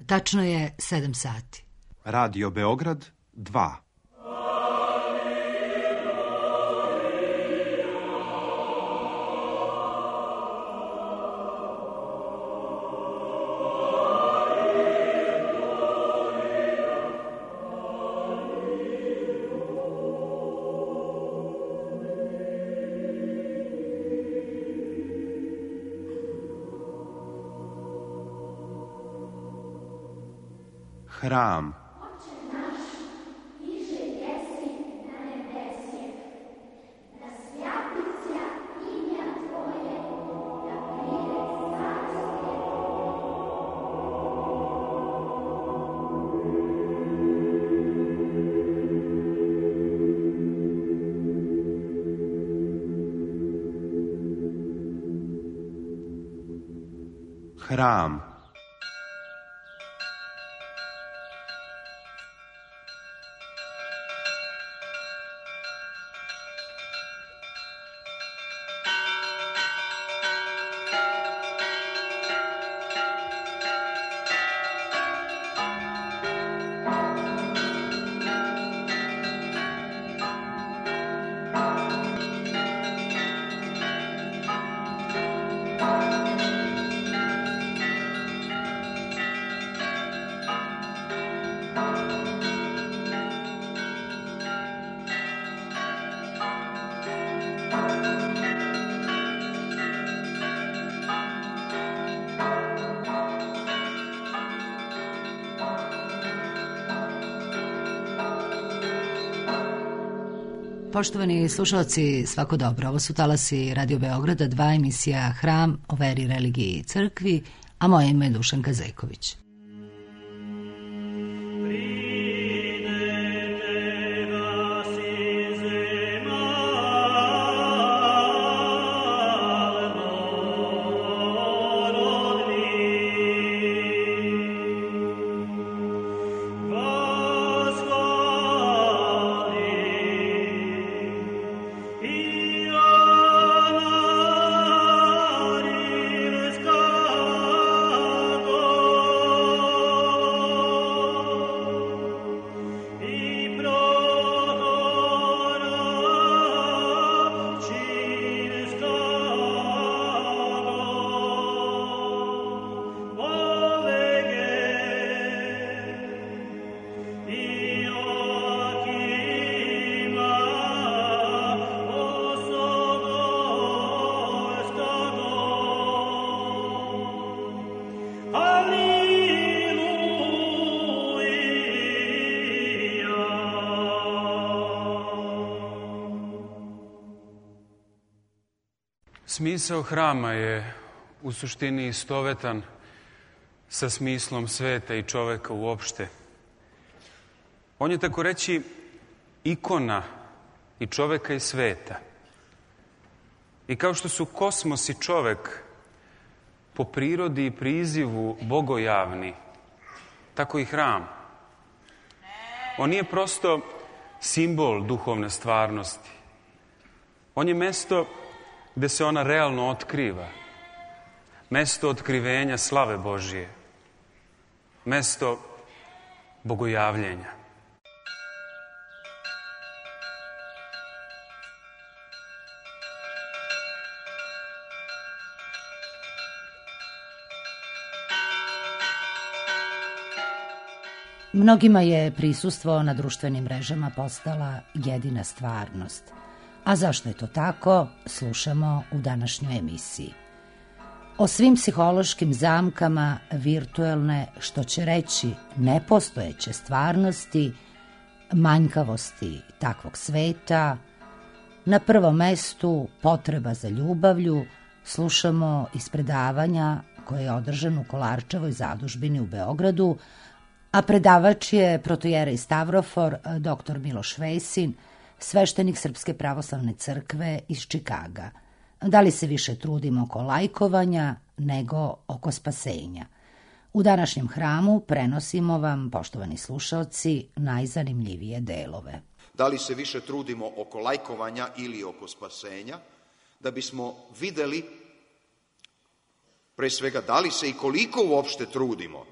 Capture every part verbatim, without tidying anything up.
Tačno je sedam sati. Radio Beograd dva. Hram. Hram. Poštovani slušalci, svako dobro. Ovo su talasi Radio Beograda, dva, emisija Hram o veri, religiji i crkvi, a moje ime je Dušanka Zejković. Smisao hrama je u suštini istovetan sa smislom sveta i čoveka uopšte. On je, tako reći, ikona i čoveka i sveta. I kao što su kosmos i čovek po prirodi i prizivu bogojavni, tako i hram. On nije prosto simbol duhovne stvarnosti. On je mesto gde se ona realno otkriva. Mesto otkrivenja slave Božije. Mesto bogojavljenja. Mnogima je prisustvo na društvenim mrežama postala jedina stvarnost. A zašto je to tako, slušamo u današnjoj emisiji. O svim psihološkim zamkama virtuelne, što će reći nepostojeće stvarnosti, manjkavosti takvog sveta, na prvom mestu potreba za ljubavlju, slušamo iz predavanja koje je održano u Kolarčevoj zadužbini u Beogradu, a predavač je protojerej Stavrofor, doktor Miloš Vesin, sveštenik Srpske pravoslavne crkve iz Čikaga. Da li se više trudimo oko lajkovanja nego oko spasenja? U današnjem hramu prenosimo vam, poštovani slušalci, najzanimljivije delove. Da li se više trudimo oko lajkovanja ili oko spasenja, da bismo videli, pre svega, da li se i koliko uopšte trudimo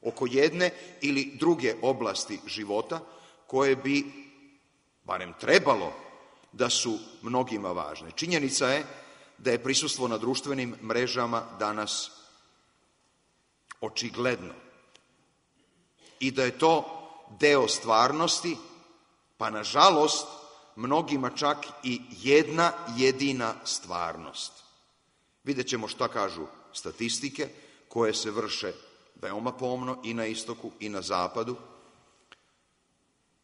oko jedne ili druge oblasti života koje bi, barem trebalo, da su mnogima važne. Činjenica je da je prisustvo na društvenim mrežama danas očigledno i da je to deo stvarnosti, pa nažalost mnogima čak i jedna jedina stvarnost. Vidjet ćemo šta kažu statistike koje se vrše veoma pomno i na istoku i na zapadu.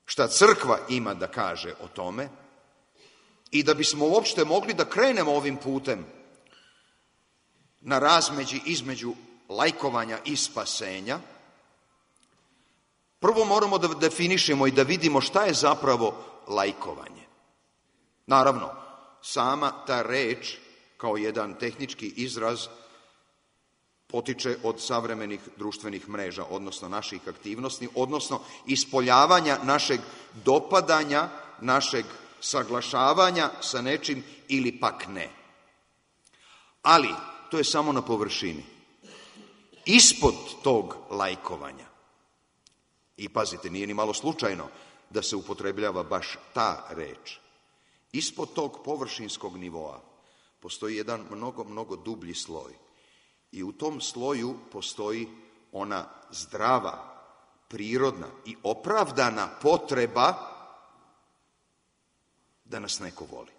Šta crkva ima da kaže o tome i da bismo uopšte mogli da krenemo ovim putem na razmeđi između lajkovanja i spasenja, prvo moramo da definišemo i da vidimo šta je zapravo lajkovanje. Naravno, sama ta reč kao jedan tehnički izraz potiče od savremenih društvenih mreža, odnosno naših aktivnosti, odnosno ispoljavanja našeg dopadanja, našeg saglašavanja sa nečim ili pak ne. Ali, to je samo na površini. Ispod tog lajkovanja, i pazite, nije ni malo slučajno da se upotrebljava baš ta reč, ispod tog površinskog nivoa postoji jedan mnogo, mnogo dublji sloj. I u tom sloju postoji ona zdrava, prirodna i opravdana potreba da nas neko voli.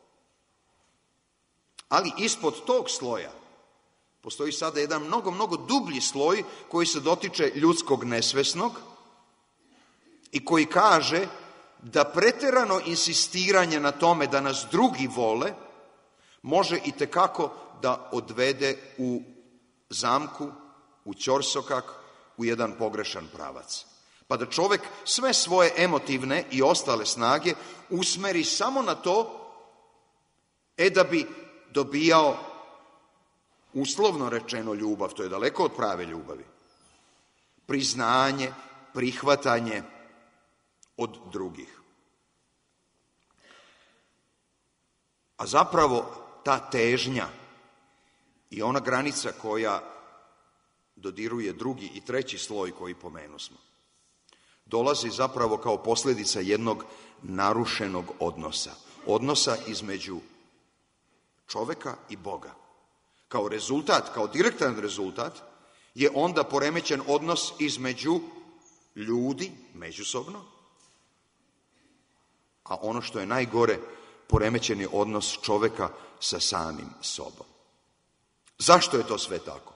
Ali ispod tog sloja postoji sada jedan mnogo, mnogo dublji sloj koji se dotiče ljudskog nesvesnog i koji kaže da preterano insistiranje na tome da nas drugi vole može i tekako da odvede u zamku, u ćorsokak, u jedan pogrešan pravac. Pa da čovek sve svoje emotivne i ostale snage usmeri samo na to, e da bi dobijao, uslovno rečeno, ljubav, to je daleko od prave ljubavi, priznanje, prihvatanje od drugih. A zapravo ta težnja i ona granica koja dodiruje drugi i treći sloj koji pomenusmo, dolazi zapravo kao posljedica jednog narušenog odnosa. Odnosa između čoveka i Boga. Kao rezultat, kao direktan rezultat, je onda poremećen odnos između ljudi, međusobno, a ono što je najgore, poremećen je odnos čoveka sa samim sobom. Zašto je to sve tako?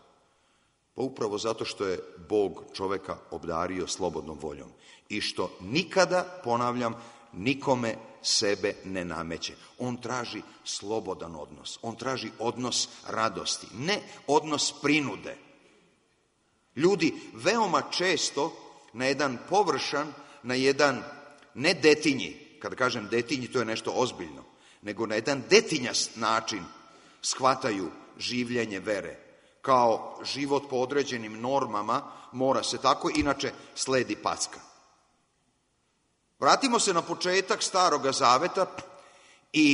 Pa upravo zato što je Bog čoveka obdario slobodnom voljom i što nikada, ponavljam, nikome sebe ne nameće. On traži slobodan odnos, on traži odnos radosti, ne odnos prinude. Ljudi veoma često na jedan površan, na jedan ne detinji, kada kažem detinji to je nešto ozbiljno, nego na jedan detinjast način shvataju življenje vere. Kao život po određenim normama mora se tako, inače sledi packa. Vratimo se na početak Staroga Zaveta i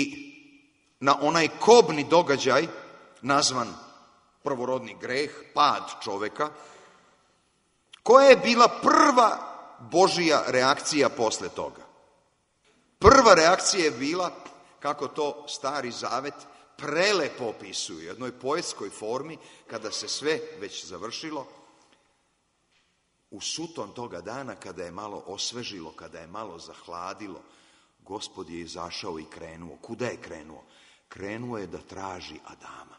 na onaj kobni događaj nazvan prvorodni greh, pad čoveka. Koja je bila prva Božija reakcija posle toga? Prva reakcija je bila, kako to Stari Zavet prelepo opisuje u jednoj poetskoj formi, kada se sve već završilo, u suton toga dana, kada je malo osvežilo, kada je malo zahladilo, Gospod je izašao i krenuo. Kuda je krenuo? Krenuo je da traži Adama.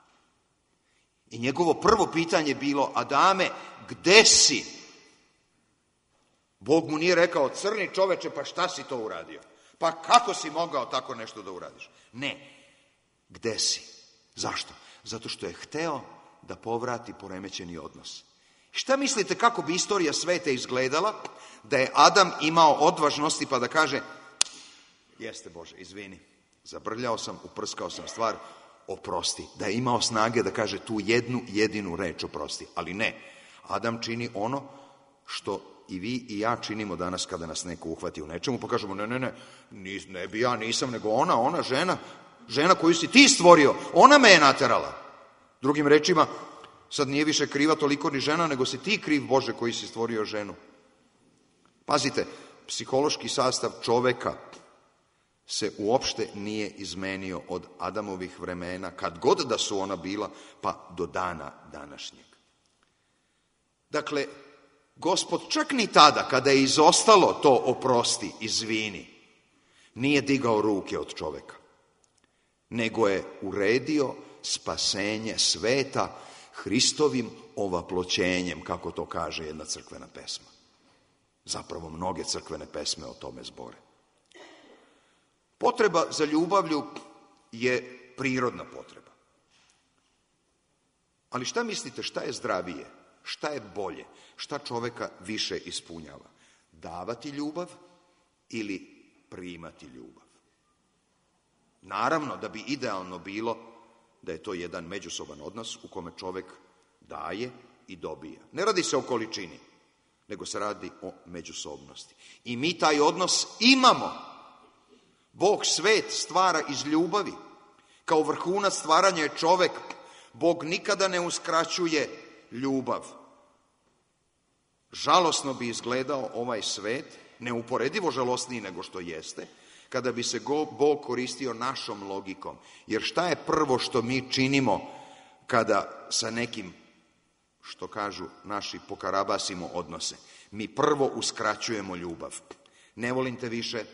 I njegovo prvo pitanje je bilo: Adame, gde si? Bog mu nije rekao: crni čoveče, pa šta si to uradio? Pa kako si mogao tako nešto da uradiš? Ne. Gde si? Zašto? Zato što je hteo da povrati poremećeni odnos. Šta mislite kako bi istorija sveta izgledala da je Adam imao odvažnosti pa da kaže: jeste Bože, izvini, zabrljao sam, uprskao sam stvar, oprosti. Da je imao snage da kaže tu jednu jedinu reč oprosti. Ali ne, Adam čini ono što i vi i ja činimo danas kada nas neko uhvati u nečemu, pa kažemo: ne, ne, ne, ne bi ja, nisam, nego ona, ona žena, žena koju si ti stvorio, ona me je naterala. Drugim rečima, Sad nije više kriva toliko ni žena, nego si ti kriv, Bože, koji si stvorio ženu. Pazite, psihološki sastav čoveka se uopšte nije izmenio od Adamovih vremena, kad god da su ona bila, pa do dana današnjeg. Dakle, Gospod čak ni tada, kada je izostalo to oprosti, izvini, nije digao ruke od čoveka, nego je uredio spasenje sveta Hristovim ovaploćenjem, kako to kaže jedna crkvena pesma. Zapravo mnoge crkvene pesme o tome zbore. Potreba za ljubavlju je prirodna potreba. Ali šta mislite, šta je zdravije, šta je bolje, šta čoveka više ispunjava? Davati ljubav ili primati ljubav? Naravno da bi idealno bilo da je to jedan međusoban odnos u kome čovek daje i dobija. Ne radi se o količini, nego se radi o međusobnosti. I mi taj odnos imamo. Bog svet stvara iz ljubavi. Kao vrhunac stvaranja je čovek. Bog nikada ne uskraćuje ljubav. Žalosno bi izgledao ovaj svet, neuporedivo žalosniji nego što jeste, kada bi se Bog koristio našom logikom. Jer šta je prvo što mi činimo kada sa nekim, što kažu naši, pokarabasimo odnose? Mi prvo uskraćujemo ljubav. Ne volim te više,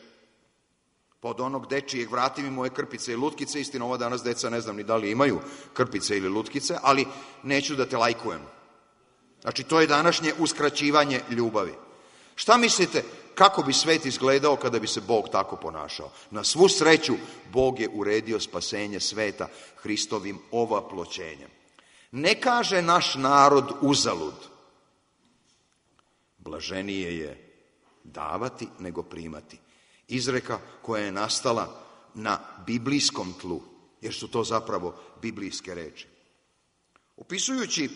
pod onog dečijeg vrati mi moje krpice i lutkice. Istina, ova danas deca ne znam ni da li imaju krpice ili lutkice, ali neću da te lajkujem. Znači, to je današnje uskraćivanje ljubavi. Šta mislite, kako bi svet izgledao kada bi se Bog tako ponašao? Na svu sreću, Bog je uredio spasenje sveta Hristovim ovaploćenjem. Ne kaže naš narod uzalud. Blaženije je davati nego primati. Izreka koja je nastala na biblijskom tlu, jer su to zapravo biblijske reči. Opisujući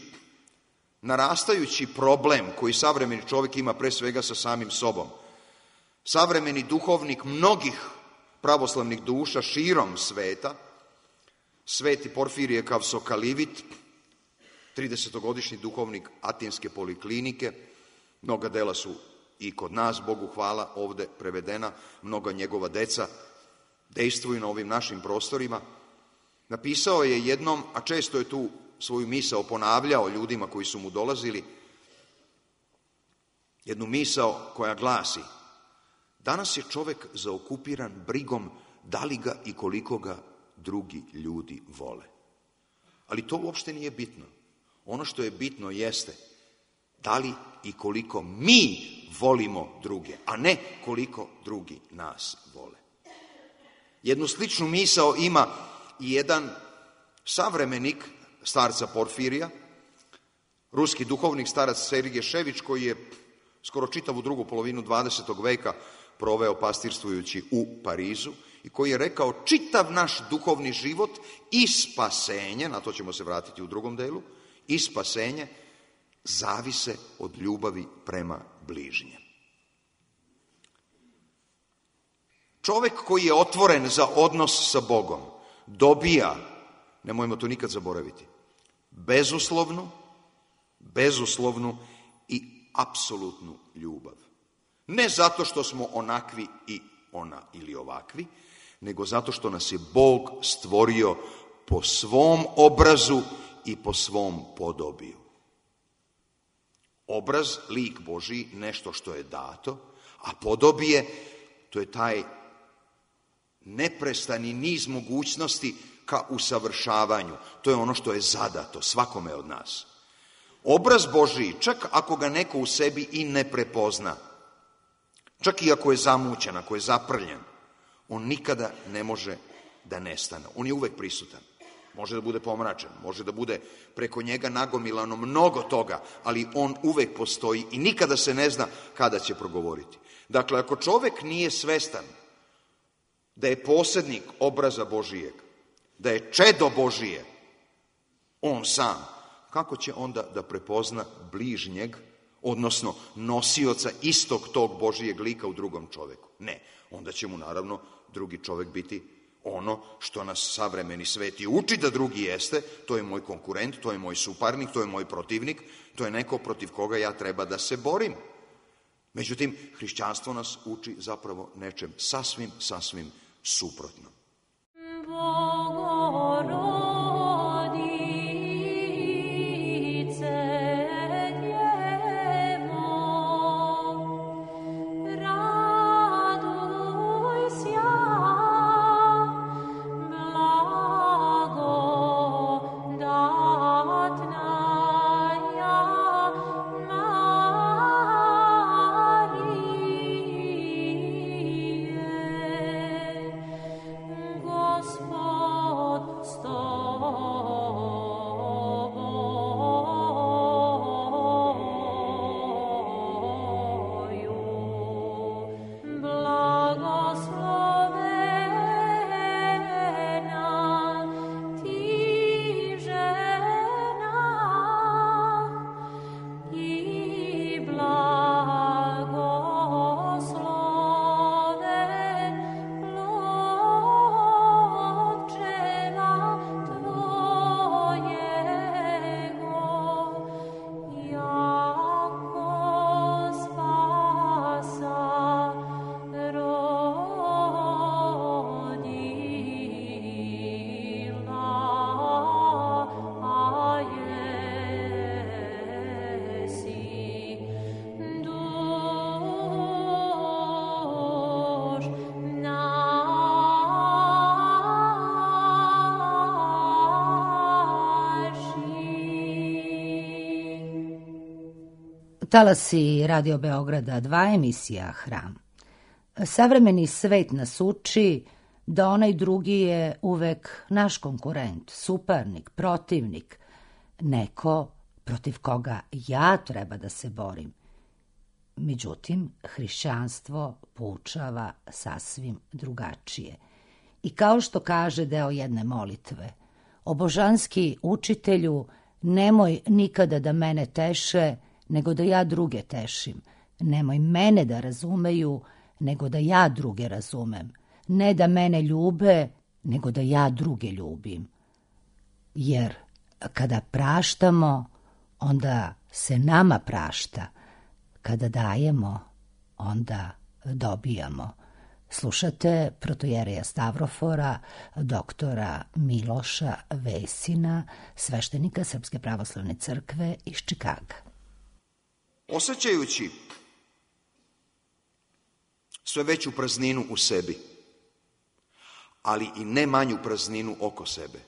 narastajući problem koji savremeni čovjek ima pre svega sa samim sobom, savremeni duhovnik mnogih pravoslavnih duša širom sveta, Sveti Porfirije Kavsokalivit, tridesetogodišnji duhovnik Atinske poliklinike, mnoga dela su i kod nas, Bogu hvala, ovde prevedena, mnoga njegova deca dejstvuju na ovim našim prostorima. Napisao je jednom, a često je tu svoju misao ponavljao ljudima koji su mu dolazili, jednu misao koja glasi: danas je čovek zaokupiran brigom da li ga i koliko ga drugi ljudi vole. Ali to uopšte nije bitno. Ono što je bitno jeste da li i koliko mi volimo druge, a ne koliko drugi nas vole. Jednu sličnu misao ima i jedan savremenik starca Porfirija, ruski duhovnik starac Sergije Šević, koji je skoro čitavu drugu polovinu dvadesetog veka proveo pastirstvujući u Parizu i koji je rekao: čitav naš duhovni život i spasenje, na to ćemo se vratiti u drugom delu, i spasenje zavise od ljubavi prema bližnjem. Čovek koji je otvoren za odnos sa Bogom dobija, nemojmo to nikad zaboraviti, bezuslovnu, bezuslovnu i apsolutnu ljubav. Ne zato što smo onakvi i ona ili ovakvi, nego zato što nas je Bog stvorio po svom obrazu i po svom podobiju. Obraz, lik Božji, nešto što je dato, a podobije, to je taj neprestani niz mogućnosti ka usavršavanju. To je ono što je zadato svakome od nas. Obraz Božji, čak ako ga neko u sebi i ne prepozna, čak i ako je zamućen, ako je zaprljen, on nikada ne može da nestane. On je uvek prisutan. Može da bude pomračen, može da bude preko njega nagomilano mnogo toga, ali on uvek postoji i nikada se ne zna kada će progovoriti. Dakle, ako čovek nije svestan da je posjednik obraza Božijeg, da je čedo Božije, on sam, kako će onda da prepozna bližnjeg, odnosno nosioca istog tog Božijeg lika u drugom čoveku? Ne, onda će mu naravno drugi čovek biti ono što nas savremeni svet i uči da drugi jeste, to je moj konkurent, to je moj suparnik, to je moj protivnik, to je neko protiv koga ja treba da se borim. Međutim, hrišćanstvo nas uči zapravo nečem sasvim, sasvim suprotno. Talasi Radio Beograda dva, emisija Hram. Savremeni svet nas uči da onaj drugi je uvek naš konkurent, suparnik, protivnik, neko protiv koga ja treba da se borim. Međutim, hrišćanstvo poučava sasvim drugačije. I kao što kaže deo jedne molitve, o božanski učitelju, nemoj nikada da mene teše, nego da ja druge tešim. Nemoj mene da razumeju, nego da ja druge razumem. Ne da mene ljube, nego da ja druge ljubim. Jer kada praštamo, onda se nama prašta. Kada dajemo, onda dobijamo. Slušate protojereja Stavrofora, doktora Miloša Vesina, sveštenika Srpske pravoslavne crkve iz Čikaga. Osjećajući sve veću prazninu u sebi, ali i ne manju prazninu oko sebe,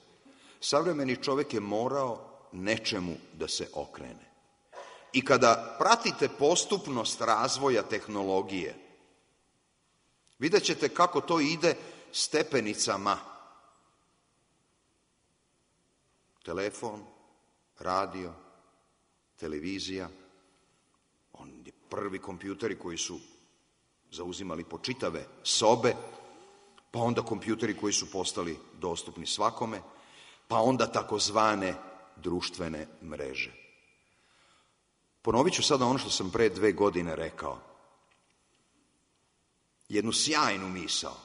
savremeni čovjek je morao nečemu da se okrene. I kada pratite postupnost razvoja tehnologije, vidjet ćete kako to ide stepenicama. Telefon, radio, televizija, oni prvi kompjuteri koji su zauzimali po čitave sobe, pa onda kompjuteri koji su postali dostupni svakome, pa onda takozvane društvene mreže. Ponovit ću sada ono što sam pre dve godine rekao. Jednu sjajnu misao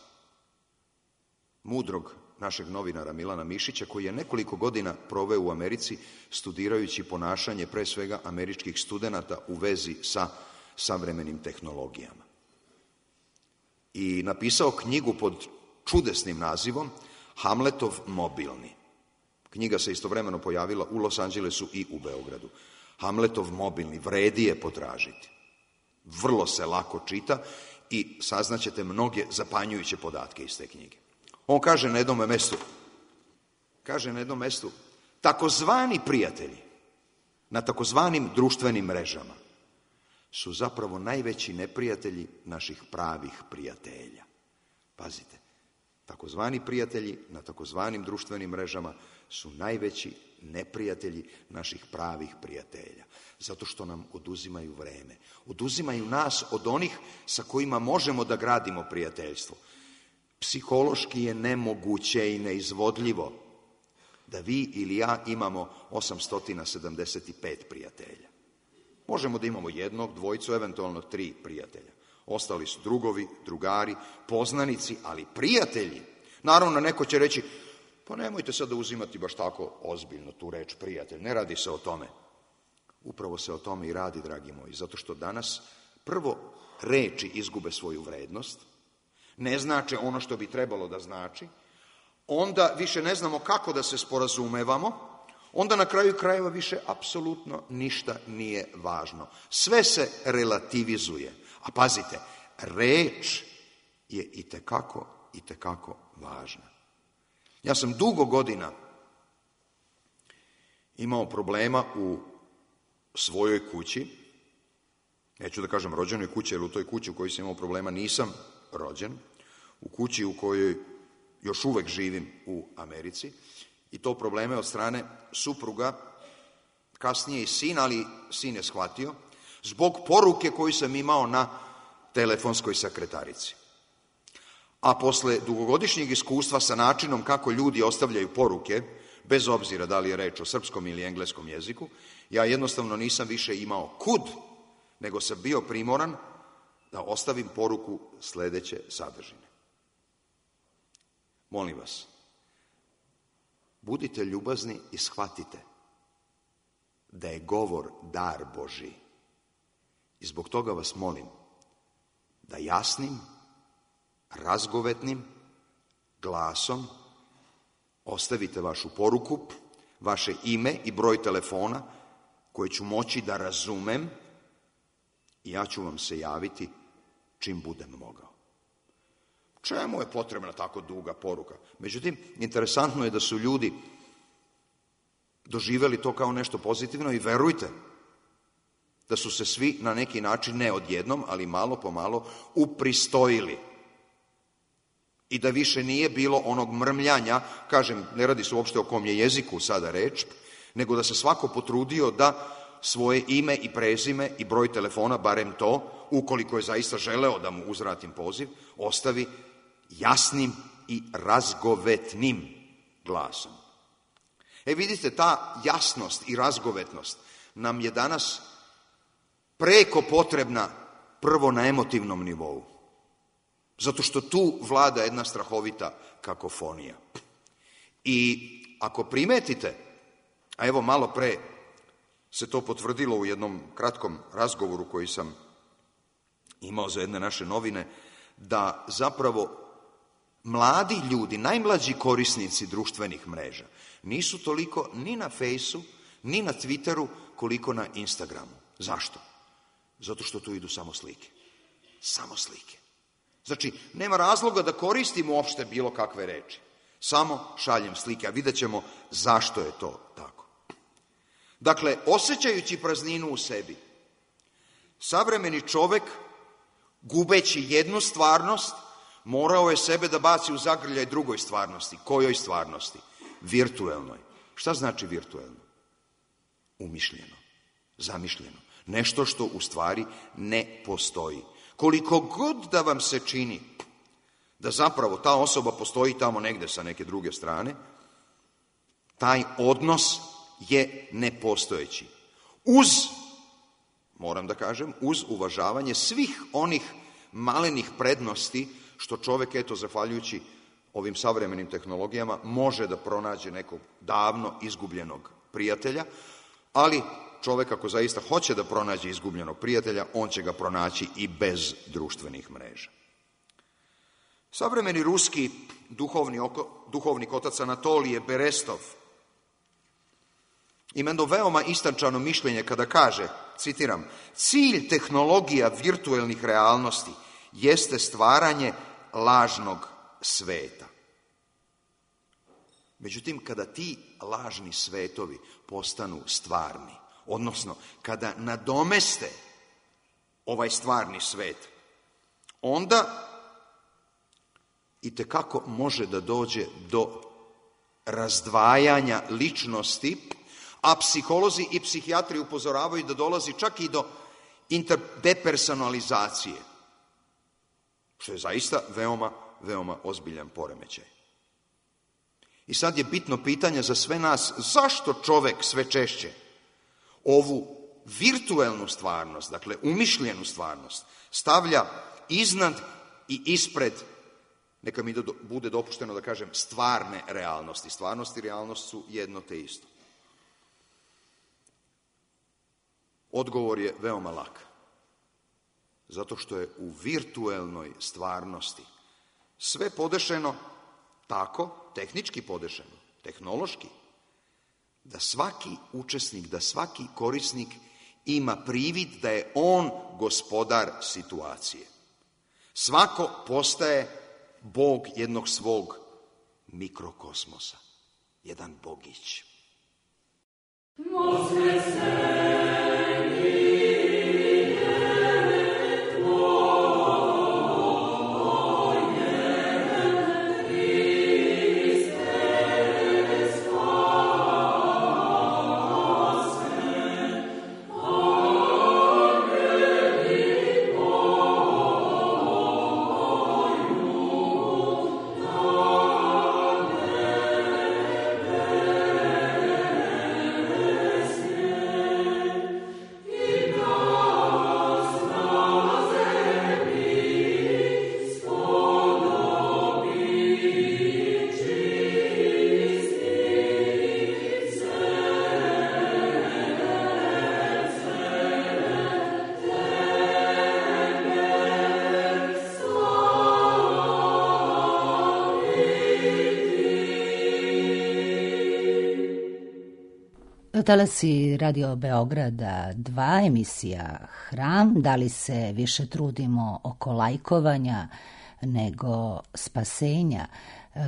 mudrog našeg novinara Milana Mišića, koji je nekoliko godina proveo u Americi studirajući ponašanje pre svega američkih studenata u vezi sa savremenim tehnologijama. I napisao knjigu pod čudesnim nazivom Hamletov mobilni. Knjiga se istovremeno pojavila u Los Angelesu i u Beogradu. Hamletov mobilni, vredi je potražiti. Vrlo se lako čita i saznaćete mnoge zapanjujuće podatke iz te knjige. On kaže na jednom mestu, kaže na jednom mestu, takozvani prijatelji na takozvanim društvenim mrežama su zapravo najveći neprijatelji naših pravih prijatelja. Pazite, takozvani prijatelji na takozvanim društvenim mrežama su najveći neprijatelji naših pravih prijatelja. Zato što nam oduzimaju vreme. Oduzimaju nas od onih sa kojima možemo da gradimo prijateljstvo. Psihološki je nemoguće i neizvodljivo da vi ili ja imamo osamsto sedamdeset pet prijatelja. Možemo da imamo jednog, dvojicu, eventualno tri prijatelja. Ostali su drugovi, drugari, poznanici, ali prijatelji, Naravno, neko će reći, pa nemojte sad da uzimati baš tako ozbiljno tu reč prijatelj, ne radi se o tome. Upravo se o tome i radi, dragi moji, zato što danas prvo reči izgube svoju vrednost, ne znače ono što bi trebalo da znači, onda više ne znamo kako da se sporazumevamo, onda na kraju krajeva više apsolutno ništa nije važno. Sve se relativizuje. A pazite, reč je itekako, itekako važna. Ja sam dugo godina imao problema u svojoj kući, neću da kažem rođenoj kući, jer u toj kući u kojoj sam imao problema nisam rođen, u kući u kojoj još uvek živim u Americi, i to probleme od strane supruga, kasnije i sin, ali sin je shvatio, zbog poruke koju sam imao na telefonskoj sekretarici. A posle dugogodišnjeg iskustva sa načinom kako ljudi ostavljaju poruke, bez obzira da li je reč o srpskom ili engleskom jeziku, ja jednostavno nisam više imao kud, nego sam bio primoran da ostavim poruku sledeće sadržine. Molim vas, budite ljubazni i shvatite da je govor dar Božji. I zbog toga vas molim da jasnim, razgovetnim glasom ostavite vašu poruku, vaše ime i broj telefona koje ću moći da razumem i ja ću vam se javiti čim budem mogao. Čemu je potrebna tako duga poruka? Međutim, interesantno je da su ljudi doživeli to kao nešto pozitivno i verujte da su se svi na neki način, ne odjednom, ali malo po malo, upristojili. I da više nije bilo onog mrmljanja, kažem, ne radi se uopšte o kom je jeziku sada reč, nego da se svako potrudio da svoje ime i prezime i broj telefona, barem to, ukoliko je zaista želeo da mu uzvratim poziv, ostavi jasnim i razgovetnim glasom. E vidite, ta jasnost i razgovetnost nam je danas preko potrebna prvo na emotivnom nivou. Zato što tu vlada jedna strahovita kakofonija. I ako primetite, a evo malo pre se to potvrdilo u jednom kratkom razgovoru koji sam imao za jedne naše novine, da zapravo mladi ljudi, najmlađi korisnici društvenih mreža, nisu toliko ni na Fejsu, ni na Twitteru, koliko na Instagramu. Zašto? Zato što tu idu samo slike. Samo slike. Znači, nema razloga da koristim uopšte bilo kakve reči. Samo šaljem slike, a vidjet ćemo zašto je to tako. Dakle, osjećajući prazninu u sebi, savremeni čovek, gubeći jednu stvarnost, morao je sebe da baci u zagrljaj drugoj stvarnosti. Kojoj stvarnosti? Virtuelnoj. Šta znači virtuelno? Umišljeno, zamišljeno. Nešto što u stvari ne postoji. Koliko god da vam se čini da zapravo ta osoba postoji tamo negde sa neke druge strane, taj odnos je nepostojeći. Uz, moram da kažem, uz uvažavanje svih onih malenih prednosti što čovek, eto, zahvaljujući ovim savremenim tehnologijama, može da pronađe nekog davno izgubljenog prijatelja, ali čovek ako zaista hoće da pronađe izgubljenog prijatelja, on će ga pronaći i bez društvenih mreža. Savremeni ruski duhovni oko, duhovnik otac Anatolije Berestov ima jedno veoma istančano mišljenje kada kaže, citiram, cilj tehnologija virtuelnih realnosti jeste stvaranje lažnog sveta. Međutim, kada ti lažni svetovi postanu stvarni, odnosno kada nadomeste ovaj stvarni svet, onda itekako može da dođe do razdvajanja ličnosti, a psiholozi i psihijatri upozoravaju da dolazi čak i do interdepersonalizacije, što je zaista veoma, veoma ozbiljan poremećaj. I sad je bitno pitanje za sve nas, zašto čovek sve češće ovu virtuelnu stvarnost, dakle umišljenu stvarnost, stavlja iznad i ispred neka mi do, bude dopušteno da kažem stvarne realnosti. Stvarnost i realnost su jedno te isto. Odgovor je veoma lak. Zato što je u virtuelnoj stvarnosti sve podešeno tako, tehnički podešeno, tehnološki, da svaki učesnik, da svaki korisnik ima privid da je on gospodar situacije. Svako postaje bog jednog svog mikrokosmosa, jedan bogić. Može se Talasi Radio Beograda dva, emisija Hram. Da li se više trudimo oko lajkovanja nego spasenja,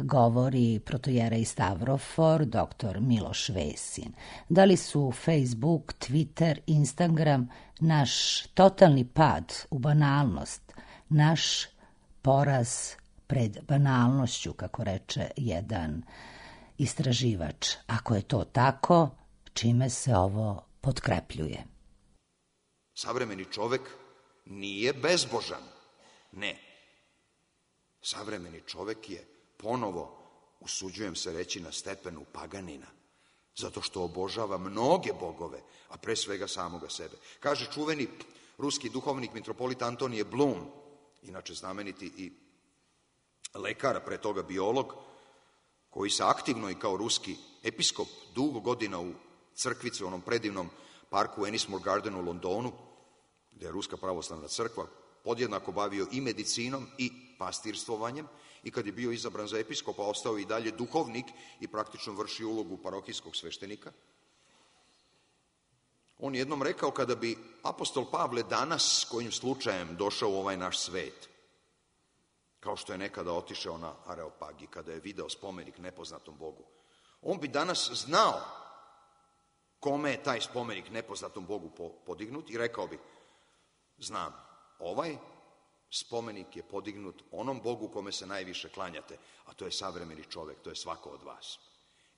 govori protojerej Stavrofor, doktor Miloš Vesin. Da li su Facebook, Twitter, Instagram naš totalni pad u banalnost, naš poraz pred banalnošću, kako reče jedan istraživač? Ako je to tako, čime se ovo potkrepljuje? Savremeni čovek nije bezbožan. Ne. Savremeni čovek je ponovo, usuđujem se reći, na stepenu paganina, zato što obožava mnoge bogove, a pre svega samoga sebe. Kaže čuveni ruski duhovnik mitropolit Antonije Blum, inače znameniti i lekar, a pre toga biolog, koji se aktivno i kao ruski episkop dugo godina u crkvici, u onom predivnom parku Ennismore Garden u Londonu, gde je Ruska pravoslavna crkva, podjednako bavio i medicinom i pastirstvom, i kad je bio izabran za episkopa, ostao i dalje duhovnik i praktično vrši ulogu parohijskog sveštenika. On jednom rekao, kada bi apostol Pavle danas kojim slučajem došao u ovaj naš svet, kao što je nekada otišao na Areopagi, kada je video spomenik nepoznatom Bogu, on bi danas znao kome je taj spomenik nepoznatom Bogu podignut i rekao bi, znam, ovaj spomenik je podignut onom Bogu kome se najviše klanjate, a to je savremeni čovek, to je svako od vas.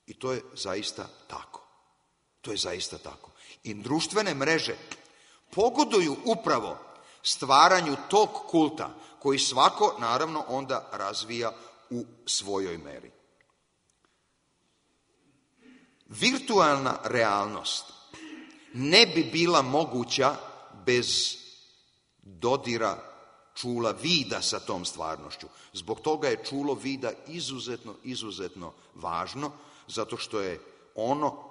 I to je zaista tako. To je zaista tako. I društvene mreže pogoduju upravo stvaranju tog kulta, koji svako, naravno, onda razvija u svojoj meri. Virtualna realnost ne bi bila moguća bez dodira čula vida sa tom stvarnošću. Zbog toga je čulo vida izuzetno, izuzetno važno, zato što je ono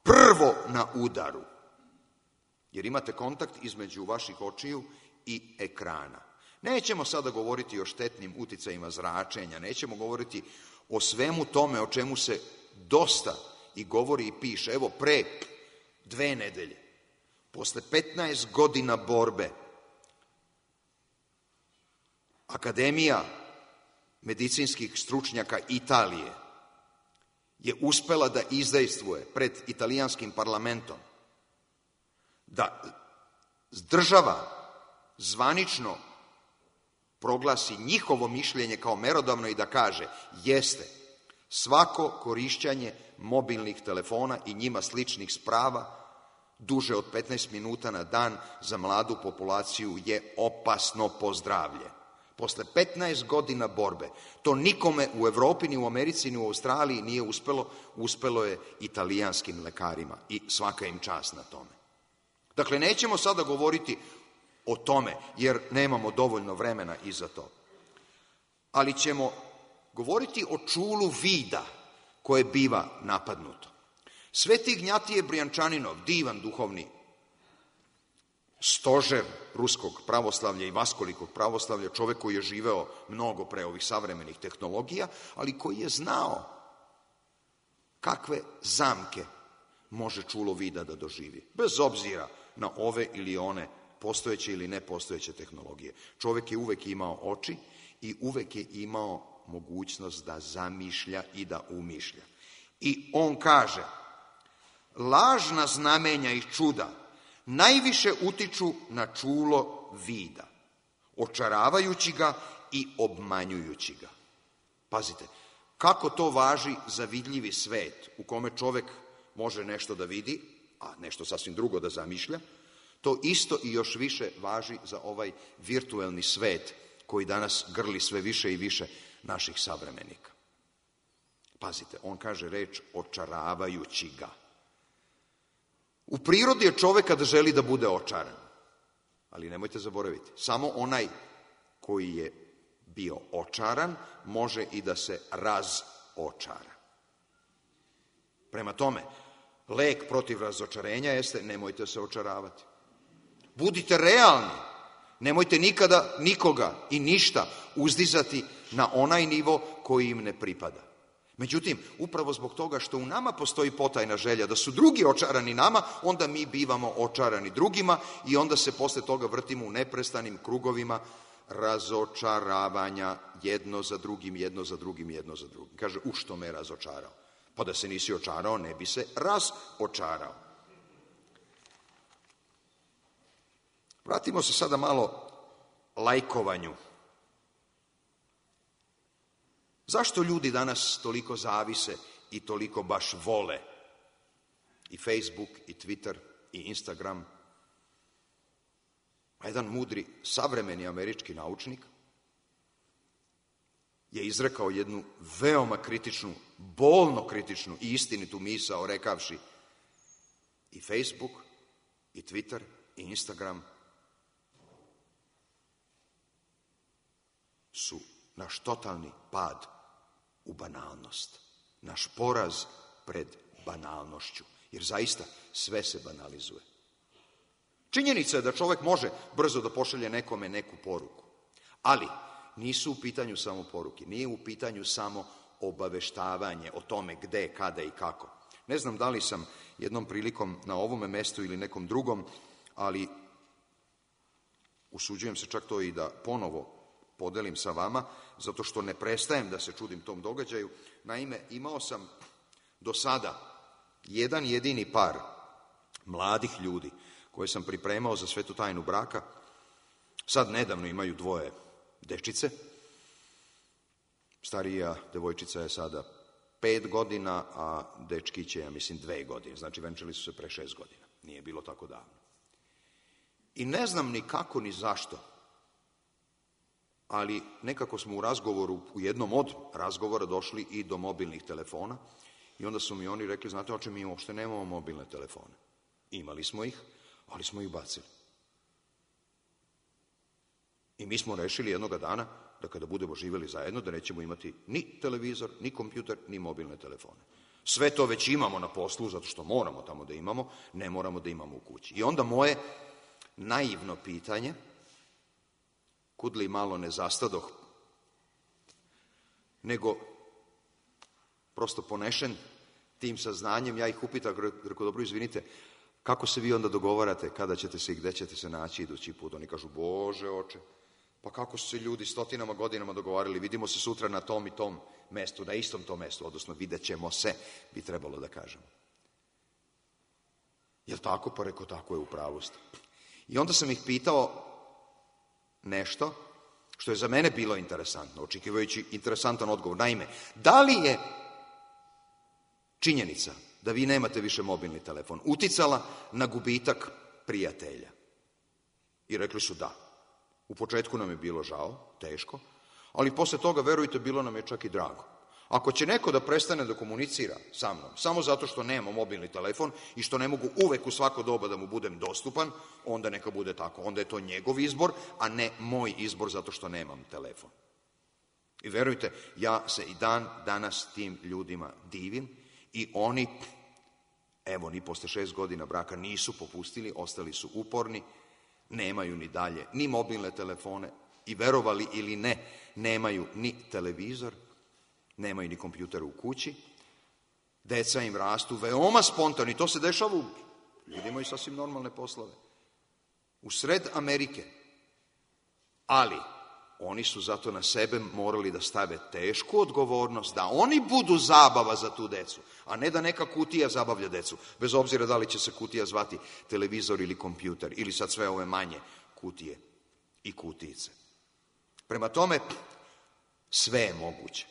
prvo na udaru. Jer imate kontakt između vaših očiju i ekrana. Nećemo sada govoriti o štetnim uticajima zračenja, nećemo govoriti o svemu tome o čemu se dosta i govori i piše. Evo, pre dve nedelje, posle petnaest godina borbe, Akademija medicinskih stručnjaka Italije je uspela da izdejstvuje pred italijanskim parlamentom da država zvanično proglasi njihovo mišljenje kao merodavno i da kaže, jeste, svako korišćanje mobilnih telefona i njima sličnih sprava duže od petnaest minuta na dan za mladu populaciju je opasno po zdravlje. Posle petnaest godina borbe, to nikome u Evropi, ni u Americi, ni u Australiji nije uspelo, uspelo je italijanskim lekarima i svaka im čast na tome. Dakle, nećemo sada govoriti o tome, jer nemamo dovoljno vremena i za to. ali ćemo govoriti o čulu vida koje biva napadnuto. Sveti Ignjatije Brijančaninov, divan duhovni stožer ruskog pravoslavlja i vaskolikog pravoslavlja, čovek koji je živeo mnogo pre ovih savremenih tehnologija, ali koji je znao kakve zamke može čulo vida da doživi, bez obzira na ove ili one postojeće ili nepostojeće tehnologije. Čovek je uvek imao oči i uvek je imao mogućnost da zamišlja i da umišlja. I on kaže, lažna znamenja i čuda najviše utiču na čulo vida, očaravajući ga i obmanjujući ga. Pazite, kako to važi za vidljivi svet u kome čovek može nešto da vidi, a nešto sasvim drugo da zamišlja, to isto i još više važi za ovaj virtuelni svet koji danas grli sve više i više naših savremenika. Pazite, on kaže reč očaravajući ga. U prirodi je čoveka da želi da bude očaran, ali nemojte zaboraviti, samo onaj koji je bio očaran može i da se razočara. Prema tome, lek protiv razočarenja jeste nemojte se očaravati. Budite realni, nemojte nikada nikoga i ništa uzdizati na onaj nivo koji im ne pripada. Međutim, upravo zbog toga što u nama postoji potajna želja da su drugi očarani nama, onda mi bivamo očarani drugima i onda se posle toga vrtimo u neprestanim krugovima razočaravanja jedno za drugim, jedno za drugim, jedno za drugim. Kaže, u što me razočarao? Pa da se nisi očarao, ne bi se razočarao. Vratimo se sada malo lajkovanju. Zašto ljudi danas toliko zavise i toliko baš vole i Facebook, i Twitter, i Instagram? A jedan mudri, savremeni američki naučnik je izrekao jednu veoma kritičnu, bolno kritičnu i istinitu misao, rekavši i Facebook, i Twitter, i Instagram su naš totalni pad u banalnost, naš poraz pred banalnošću, jer zaista sve se banalizuje. Činjenica je da čovek može brzo da pošalje nekome neku poruku, ali nisu u pitanju samo poruke, nije u pitanju samo obaveštavanje o tome gde, kada i kako. Ne znam da li sam jednom prilikom na ovome mestu ili nekom drugom, ali usuđujem se čak to i da ponovo podelim sa vama, zato što ne prestajem da se čudim tom događaju. Naime, imao sam do sada jedan jedini par mladih ljudi koje sam pripremao za svetu tajnu braka. Sad nedavno imaju dvoje dečice. Starija devojčica je sada pet godina, a dečkić je, ja mislim, dve godine. Znači, venčali su se pre šest godina. Nije bilo tako davno. I ne znam ni kako, ni zašto, ali nekako smo u razgovoru, u jednom od razgovora došli i do mobilnih telefona i onda su mi oni rekli, znate oče, mi uopšte nemamo mobilne telefone. Imali smo ih, ali smo ih bacili. I mi smo rešili jednoga dana da kada budemo živjeli zajedno, da nećemo imati ni televizor, ni kompjuter, ni mobilne telefone. Sve to već imamo na poslu, zato što moramo tamo da imamo, ne moramo da imamo u kući. I onda moje naivno pitanje, kud li malo ne zastadoh, nego prosto ponešen tim saznanjem, ja ih upitam, rekao, dobro, izvinite, kako se vi onda dogovarate, kada ćete se i gde ćete se naći idući put? Oni kažu, Bože oče, pa kako su se ljudi stotinama godinama dogovarali, vidimo se sutra na tom i tom mestu, na istom tom mestu, odnosno vidjet ćemo se, bi trebalo da kažemo. Jel tako? Pa rekao, tako je, u pravu ste. I onda sam ih pitao nešto što je za mene bilo interesantno, očekivajući interesantan odgovor. Naime, da li je činjenica da vi nemate više mobilni telefon uticala na gubitak prijatelja? I rekli su da. U početku nam je bilo žao, teško, ali posle toga, verujte, bilo nam je čak i drago. Ako će neko da prestane da komunicira sa mnom, samo zato što nema mobilni telefon i što ne mogu uvek u svako doba da mu budem dostupan, onda neka bude tako. Onda je to njegov izbor, a ne moj izbor zato što nemam telefon. I verujte, ja se i dan danas tim ljudima divim i oni, evo, ni posle šest godina braka nisu popustili, ostali su uporni, nemaju ni dalje ni mobilne telefone i, verovali ili ne, nemaju ni televizor, nemaju ni kompjuter u kući. Deca im rastu veoma spontano i to se dešava u, ljudi imaju sasvim normalne poslove, u sred Amerike. Ali oni su zato na sebe morali da stave tešku odgovornost, da oni budu zabava za tu decu, a ne da neka kutija zabavlja decu, bez obzira da li će se kutija zvati televizor ili kompjuter, ili sad sve ove manje kutije i kutijice. Prema tome, sve je moguće.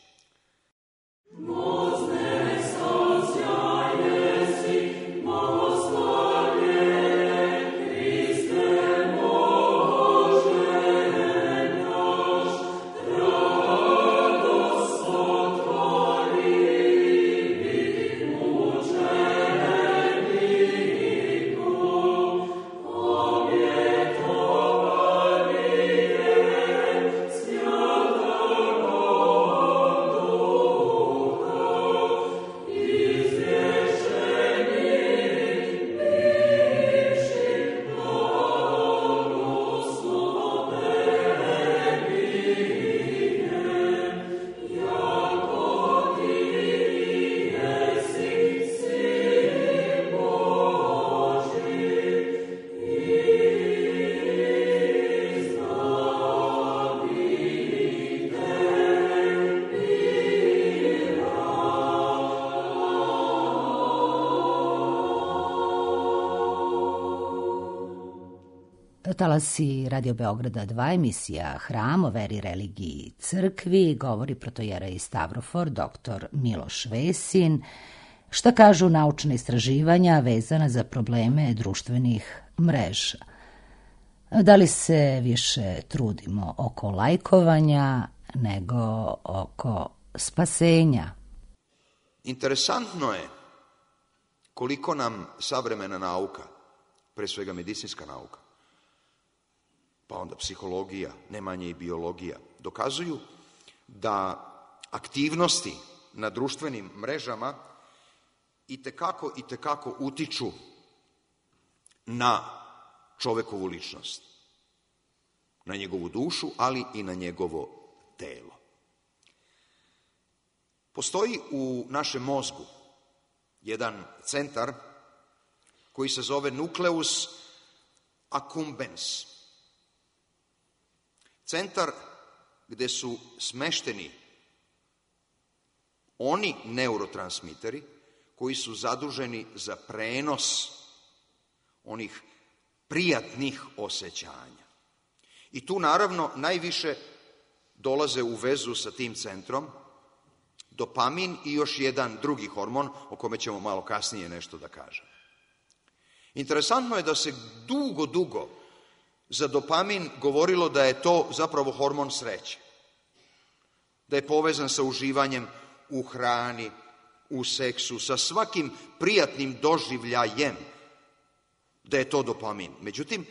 Talasi Radio Beograda dva, emisija Hram o veri, religiji i crkvi, govori protojerej Stavrofor, doktor Miloš Vesin. Šta kažu naučna istraživanja vezana za probleme društvenih mreža? Da li se više trudimo oko lajkovanja nego oko spasenja? Interesantno je koliko nam savremena nauka, pre svega medicinska nauka, pa onda psihologija, ne manje i biologija, dokazuju da aktivnosti na društvenim mrežama itekako, itekako utiču na čovekovu ličnost, na njegovu dušu, ali i na njegovo telo. Postoji u našem mozgu jedan centar koji se zove nucleus accumbens. Centar gde su smešteni oni neurotransmiteri koji su zaduženi za prenos onih prijatnih osjećanja. I tu naravno najviše dolaze u vezu sa tim centrom dopamin i još jedan drugi hormon o kome ćemo malo kasnije nešto da kažem. Interesantno je da se dugo, dugo za dopamin govorilo da je to zapravo hormon sreće, da je povezan sa uživanjem u hrani, u seksu, sa svakim prijatnim doživljajem, da je to dopamin. Međutim,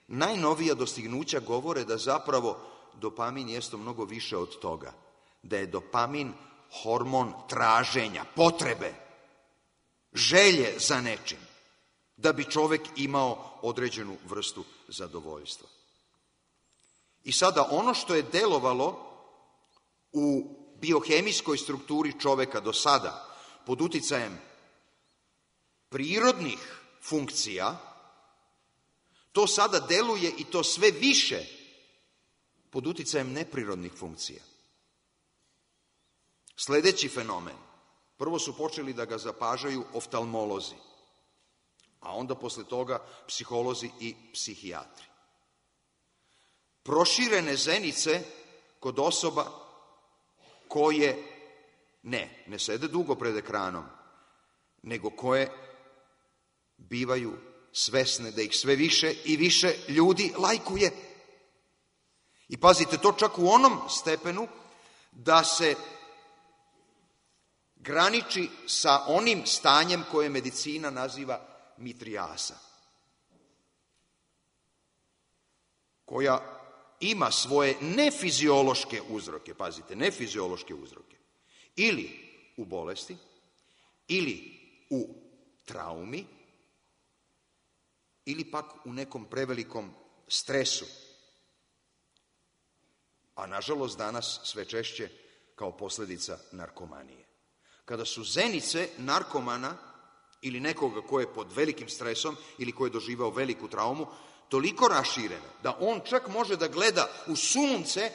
najnovija dostignuća govore da zapravo dopamin jeste mnogo više od toga, da je dopamin hormon traženja, potrebe, želje za nečim, da bi čovek imao određenu vrstu zadovoljstva. I sada ono što je delovalo u biohemijskoj strukturi čoveka do sada pod uticajem prirodnih funkcija, to sada deluje i to sve više pod uticajem neprirodnih funkcija. Sledeći fenomen, prvo su počeli da ga zapažaju oftalmolozi, a onda posle toga psiholozi i psihijatri. Proširene zenice kod osoba koje ne, ne sede dugo pred ekranom, nego koje bivaju svesne da ih sve više i više ljudi lajkuje. I pazite, to čak u onom stepenu da se graniči sa onim stanjem koje medicina naziva mitrijasa, koja ima svoje nefiziološke uzroke, pazite, nefiziološke uzroke, ili u bolesti, ili u traumi, ili pak u nekom prevelikom stresu. A nažalost danas sve češće kao posljedica narkomanije. Kada su zenice narkomana ili nekoga ko je pod velikim stresom ili ko je doživao veliku traumu, toliko raširene da on čak može da gleda u sunce,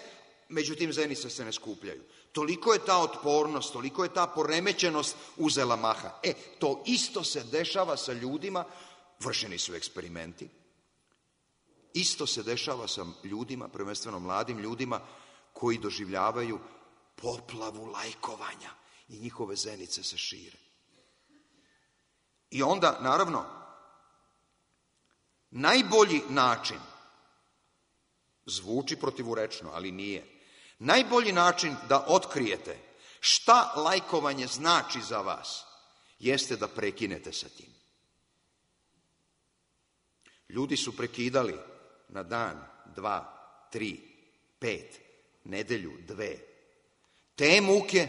međutim zenice se ne skupljaju. Toliko je ta otpornost, toliko je ta poremećenost uzela maha. E, to isto se dešava sa ljudima, vršeni su eksperimenti, isto se dešava sa ljudima, prvenstveno mladim ljudima, koji doživljavaju poplavu lajkovanja i njihove zenice se šire. I onda, naravno, najbolji način, zvuči protivurečno, ali nije, najbolji način da otkrijete šta lajkovanje znači za vas, jeste da prekinete sa tim. Ljudi su prekidali na dan, dva, tri, pet, nedelju, dve. Te muke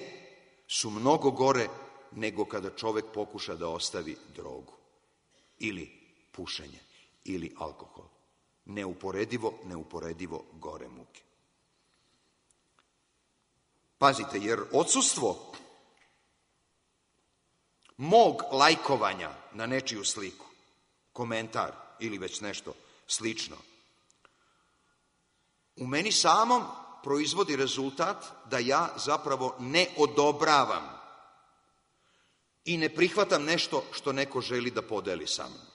su mnogo gore nego kada čovek pokuša da ostavi drogu ili pušenje ili alkohol. Neuporedivo, neuporedivo gore muke. Pazite, jer odsustvo mog lajkovanja na nečiju sliku, komentar ili već nešto slično, u meni samom proizvodi rezultat da ja zapravo ne odobravam i ne prihvatam nešto što neko želi da podeli sa mnom.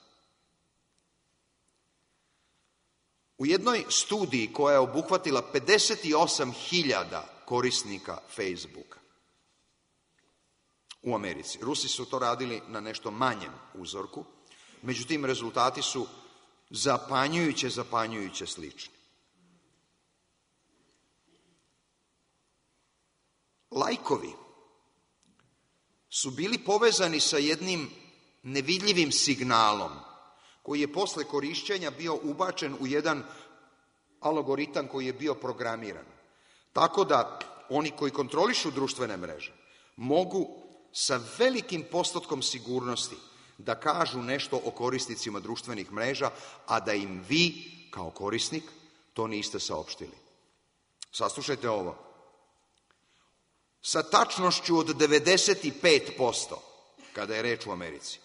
U jednoj studiji koja je obuhvatila pedeset osam hiljada korisnika Facebooka u Americi, Rusi su to radili na nešto manjem uzorku, međutim rezultati su zapanjujuće, zapanjujuće slični. Lajkovi su bili povezani sa jednim nevidljivim signalom koji je posle korišćenja bio ubačen u jedan algoritam koji je bio programiran. Tako da oni koji kontrolišu društvene mreže mogu sa velikim postotkom sigurnosti da kažu nešto o korisnicima društvenih mreža, a da im vi, kao korisnik, to niste saopštili. Saslušajte ovo. Sa tačnošću od devedeset pet posto, kada je reč u Americi,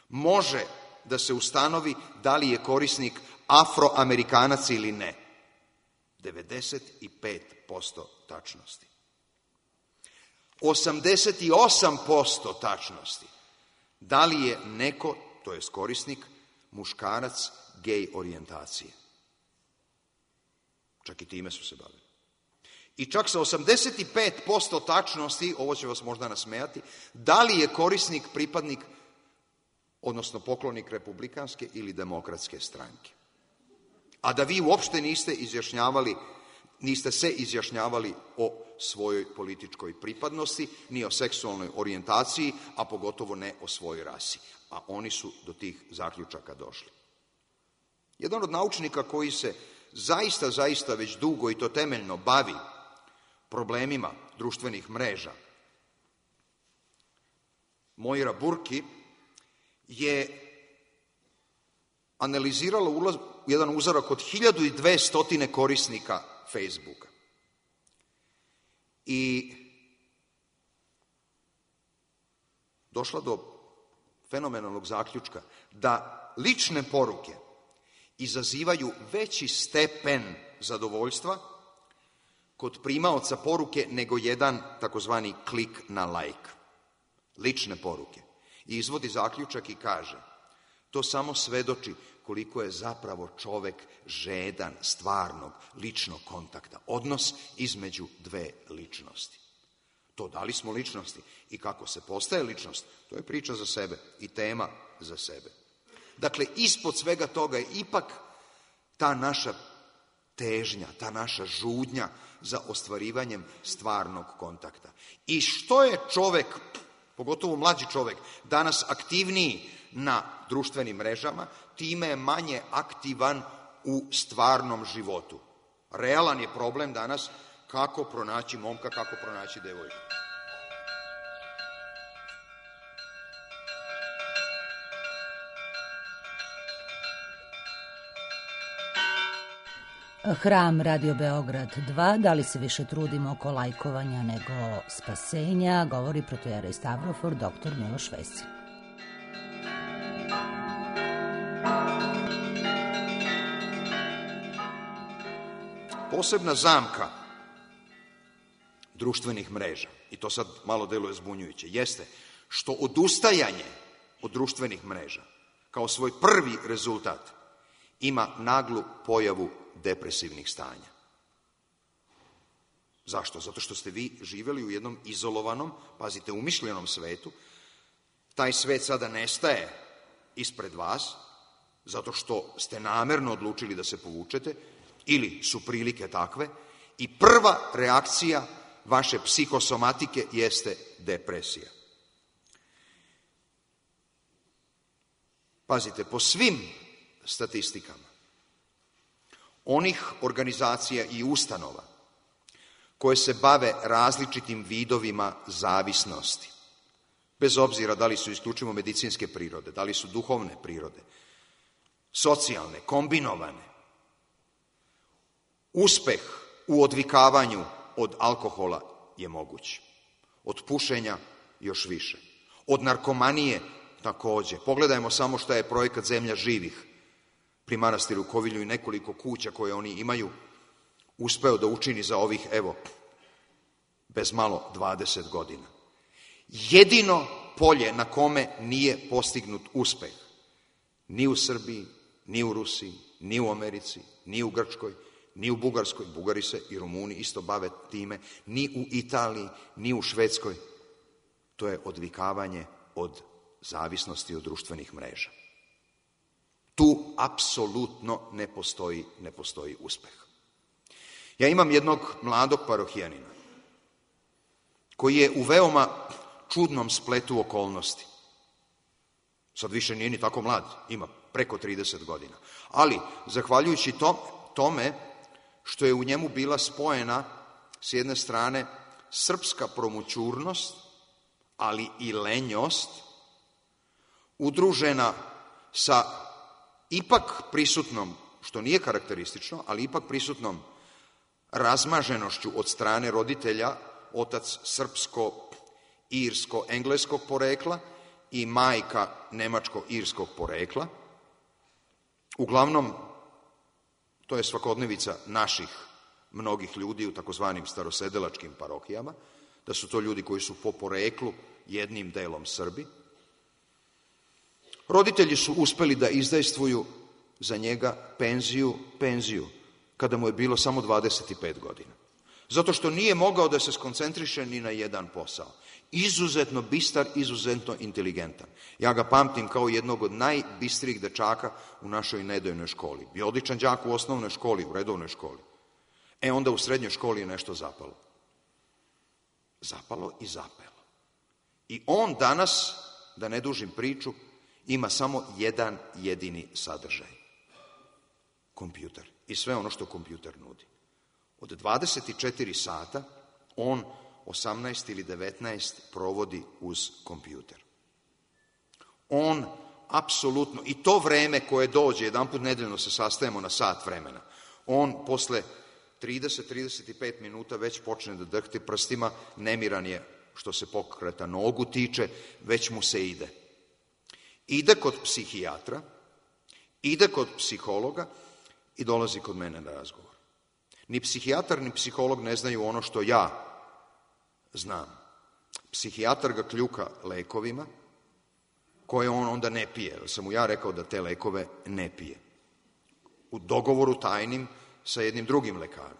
može da se ustanovi da li je korisnik Afroamerikanac ili ne. devedeset pet posto tačnosti. osamdeset osam posto tačnosti. Da li je neko, to jest korisnik, muškarac gej orijentacije. Čak i time su se bavili. I čak sa osamdeset pet posto tačnosti, ovo će vas možda nasmejati, da li je korisnik pripadnik, odnosno poklonik republikanske ili demokratske stranke. A da vi uopšte niste izjašnjavali, niste se izjašnjavali o svojoj političkoj pripadnosti, ni o seksualnoj orijentaciji, a pogotovo ne o svojoj rasi. A oni su do tih zaključaka došli. Jedan od naučnika koji se zaista, zaista već dugo i to temeljno bavi problemima društvenih mreža, Moira Burki, je analizirala ulaz, jedan uzorak od hiljadu dvesta korisnika Facebooka. I došla do fenomenalnog zaključka da lične poruke izazivaju veći stepen zadovoljstva kod primaoca poruke nego jedan takozvani klik na like. Lične poruke. I izvodi zaključak i kaže, to samo svedoči koliko je zapravo čovek žedan stvarnog ličnog kontakta. Odnos između dve ličnosti. To da li smo ličnosti i kako se postaje ličnost, to je priča za sebe i tema za sebe. Dakle, ispod svega toga je ipak ta naša težnja, ta naša žudnja za ostvarivanjem stvarnog kontakta. I što je čovek, pogotovo mlađi čovek, danas aktivniji na društvenim mrežama, time je manje aktivan u stvarnom životu. Realan je problem danas kako pronaći momka, kako pronaći devojku. Hram Radio Beograd dva, da li se više trudimo oko lajkovanja nego spasenja, govori protojerej Stavrofor, doktor Miloš Veselj. Posebna zamka društvenih mreža, i to sad malo deluje zbunjujuće, jeste što odustajanje od društvenih mreža kao svoj prvi rezultat ima naglu pojavu depresivnih stanja. Zašto? Zato što ste vi živjeli u jednom izolovanom, pazite, umišljenom svetu. Taj svet sada nestaje ispred vas, zato što ste namerno odlučili da se povučete, ili su prilike takve, i prva reakcija vaše psihosomatike jeste depresija. Pazite, po svim statistikama onih organizacija i ustanova koje se bave različitim vidovima zavisnosti, bez obzira da li su isključivo medicinske prirode, da li su duhovne prirode, socijalne, kombinovane, uspeh u odvikavanju od alkohola je moguć. Od pušenja još više. Od narkomanije takođe. Pogledajmo samo šta je projekat Zemlja živih pri manastiru Kovilju i nekoliko kuća koje oni imaju uspeo da učini za ovih, evo, bez malo dvadeset godina. Jedino polje na kome nije postignut uspeh, ni u Srbiji, ni u Rusiji, ni u Americi, ni u Grčkoj, ni u Bugarskoj, Bugari se i Rumuni isto bave time, ni u Italiji, ni u Švedskoj, to je odvikavanje od zavisnosti od društvenih mreža. Tu apsolutno ne postoji, ne postoji uspeh. Ja imam jednog mladog parohijanina koji je u veoma čudnom spletu okolnosti. Sad više nije ni tako mlad, ima preko trideset godina. Ali, zahvaljujući to, tome što je u njemu bila spojena s jedne strane srpska promućurnost, ali i lenjost, udružena sa ipak prisutnom, što nije karakteristično, ali ipak prisutnom razmaženošću od strane roditelja, otac srpsko-irsko-engleskog porekla i majka nemačko-irskog porekla. Uglavnom, to je svakodnevica naših mnogih ljudi u takozvanim starosedelačkim parohijama, da su to ljudi koji su po poreklu jednim delom Srbi. Roditelji su uspeli da izdejstvuju za njega penziju, penziju, kada mu je bilo samo dvadeset pet godina. Zato što nije mogao da se skoncentriše ni na jedan posao. Izuzetno bistar, izuzetno inteligentan. Ja ga pamtim kao jednog od najbistrijih dečaka u našoj nedojnoj školi. Bio odličan đak u osnovnoj školi, u redovnoj školi. E onda u srednjoj školi je nešto zapalo. Zapalo i zapelo. I on danas, da ne dužim priču, ima samo jedan jedini sadržaj. Kompjuter. I sve ono što kompjuter nudi. Od dvadeset četiri sata on osamnaest ili devetnaest provodi uz kompjuter. On apsolutno, i to vreme koje dođe, jedan put nedeljno se sastajemo na sat vremena, on posle trideset do trideset pet minuta već počne da drhti prstima, nemiran je što se pokreta nogu tiče, već mu se ide. Ide kod psihijatra, ide kod psihologa i dolazi kod mene na razgovor. Ni psihijatar, ni psiholog ne znaju ono što ja znam. Psihijatar ga kljuka lekovima, koje on onda ne pije. Jer sam mu ja rekao da te lekove ne pije. U dogovoru tajnim sa jednim drugim lekarom,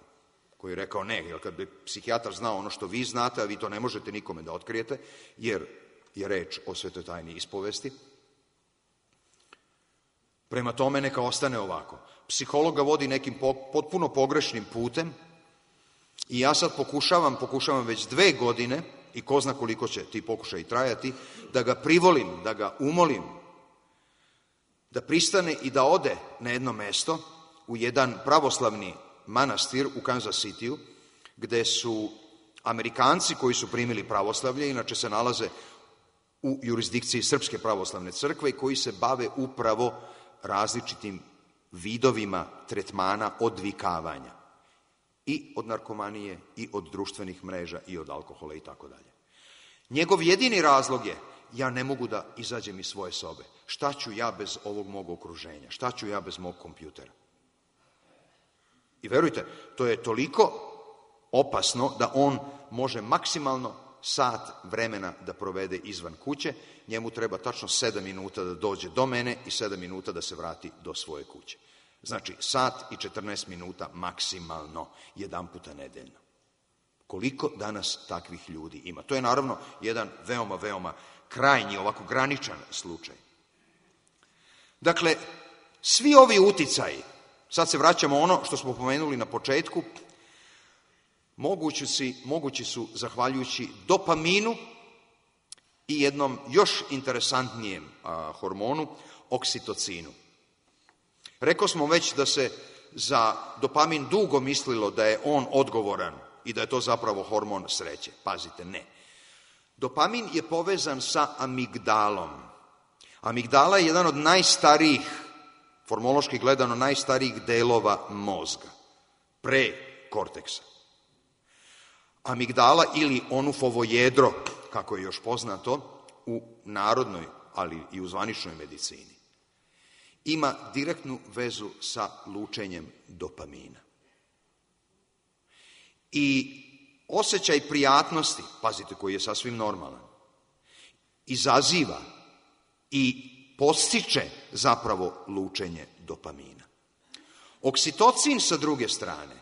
koji je rekao ne, jer kad bi psihijatar znao ono što vi znate, a vi to ne možete nikome da otkrijete, jer je reč o svetoj tajni ispovesti, prema tome neka ostane ovako. Psiholog ga vodi nekim potpuno pogrešnim putem i ja sad pokušavam, pokušavam već dve godine, i ko zna koliko će ti pokušaj trajati, da ga privolim, da ga umolim, da pristane i da ode na jedno mesto u jedan pravoslavni manastir u Kansas Cityu, gde su Amerikanci koji su primili pravoslavlje, inače se nalaze u jurisdikciji Srpske pravoslavne crkve i koji se bave upravo različitim vidovima tretmana odvikavanja. I od narkomanije, i od društvenih mreža, i od alkohola i tako dalje. Njegov jedini razlog je, ja ne mogu da izađem iz svoje sobe. Šta ću ja bez ovog mog okruženja? Šta ću ja bez mog kompjutera? I verujte, to je toliko opasno da on može maksimalno sat vremena da provede izvan kuće. Njemu treba tačno sedam minuta da dođe do mene i sedam minuta da se vrati do svoje kuće. Znači, sat i četrnaest minuta maksimalno, jedan puta nedeljno. Koliko danas takvih ljudi ima? To je naravno jedan veoma, veoma krajnji, ovako graničan slučaj. Dakle, svi ovi uticaji, sad se vraćamo ono što smo pomenuli na početku, mogući, si, mogući su zahvaljujući dopaminu i jednom još interesantnijem a, hormonu, oksitocinu. Rekao smo već da se za dopamin dugo mislilo da je on odgovoran i da je to zapravo hormon sreće. Pazite, ne. Dopamin je povezan sa amigdalom. Amigdala je jedan od najstarijih, formološki gledano, najstarijih delova mozga, pre korteksa. Amigdala ili onufovo jedro, kako je još poznato, u narodnoj, ali i u zvaničnoj medicini, ima direktnu vezu sa lučenjem dopamina. I osjećaj prijatnosti, pazite, koji je sasvim normalan, izaziva i podstiče zapravo lučenje dopamina. Oksitocin sa druge strane,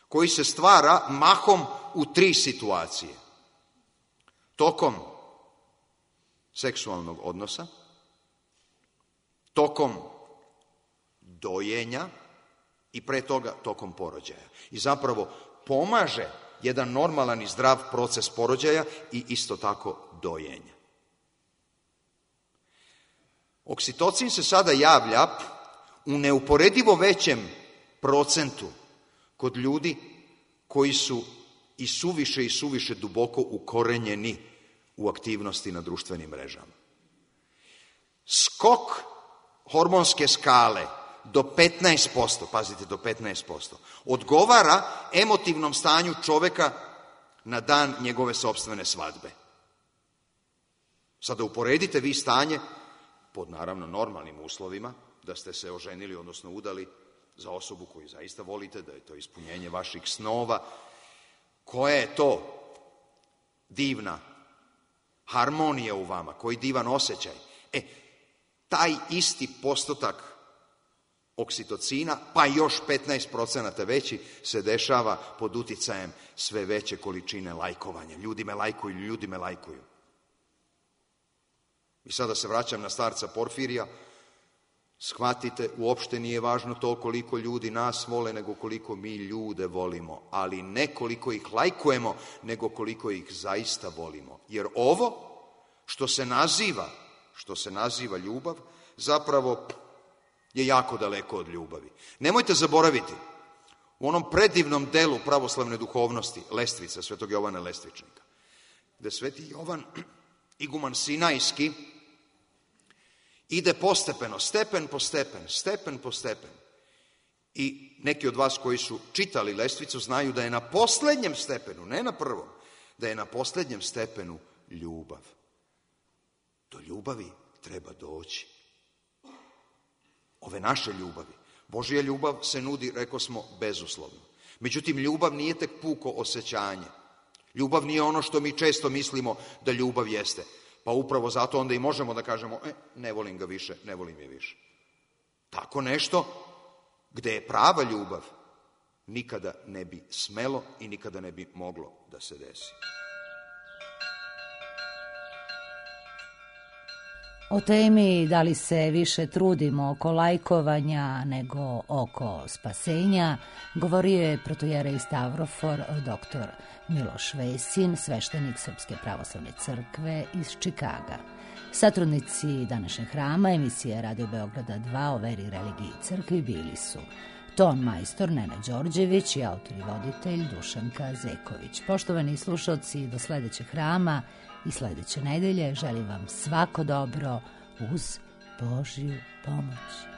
koji se stvara mahom u tri situacije. Tokom seksualnog odnosa, tokom dojenja i pre toga tokom porođaja. I zapravo pomaže jedan normalan i zdrav proces porođaja i isto tako dojenja. Oksitocin se sada javlja u neuporedivo većem procentu kod ljudi koji su i suviše i suviše duboko ukorenjeni u aktivnosti na društvenim mrežama. Skok hormonske skale do petnaest posto, pazite, do petnaest posto, odgovara emotivnom stanju čoveka na dan njegove sopstvene svadbe. Sada uporedite vi stanje, pod naravno normalnim uslovima, da ste se oženili, odnosno udali za osobu koju zaista volite, da je to ispunjenje vaših snova. Koja je to divna harmonija u vama, koji divan osjećaj. E, taj isti postotak oksitocina, pa još petnaest procenata veći, se dešava pod uticajem sve veće količine lajkovanja. Ljudi me lajkuju, ljudi me lajkuju. I sada se vraćam na starca Porfirija. Shvatite, uopšte nije važno to koliko ljudi nas vole, nego koliko mi ljude volimo. Ali ne koliko ih lajkujemo, nego koliko ih zaista volimo. Jer ovo što se naziva, što se naziva ljubav, zapravo je jako daleko od ljubavi. Nemojte zaboraviti, u onom predivnom delu pravoslavne duhovnosti, Lestvica, svetog Jovana Lestvičnika, gde sveti Jovan, iguman Sinajski, ide postepeno, stepen po stepen, stepen po stepen. I neki od vas koji su čitali Lestvicu znaju da je na poslednjem stepenu, ne na prvom, da je na poslednjem stepenu ljubav. Do ljubavi treba doći. Ove naše ljubavi. Božja ljubav se nudi, rekao smo, bezuslovno. Međutim, ljubav nije tek puko osjećanje. Ljubav nije ono što mi često mislimo da ljubav jeste. Pa upravo zato onda i možemo da kažemo, e, ne volim ga više, ne volim je više. Tako nešto, gde je prava ljubav, nikada ne bi smelo i nikada ne bi moglo da se desi. O temi da li se više trudimo oko lajkovanja nego oko spasenja govorio je protojerej Stavrofor doktor Miloš Vesin, sveštenik Srpske pravoslavne crkve iz Čikaga. Satrudnici današnjeg hrama emisije Radio Beograda dva o veri, religiji i crkvi bili su ton majstor Nena Đorđević i autor i voditelj Dušanka Zeković. Poštovani slušalci, do sledećeg hrama i sledeće nedelje želim vam svako dobro uz Božju pomoć.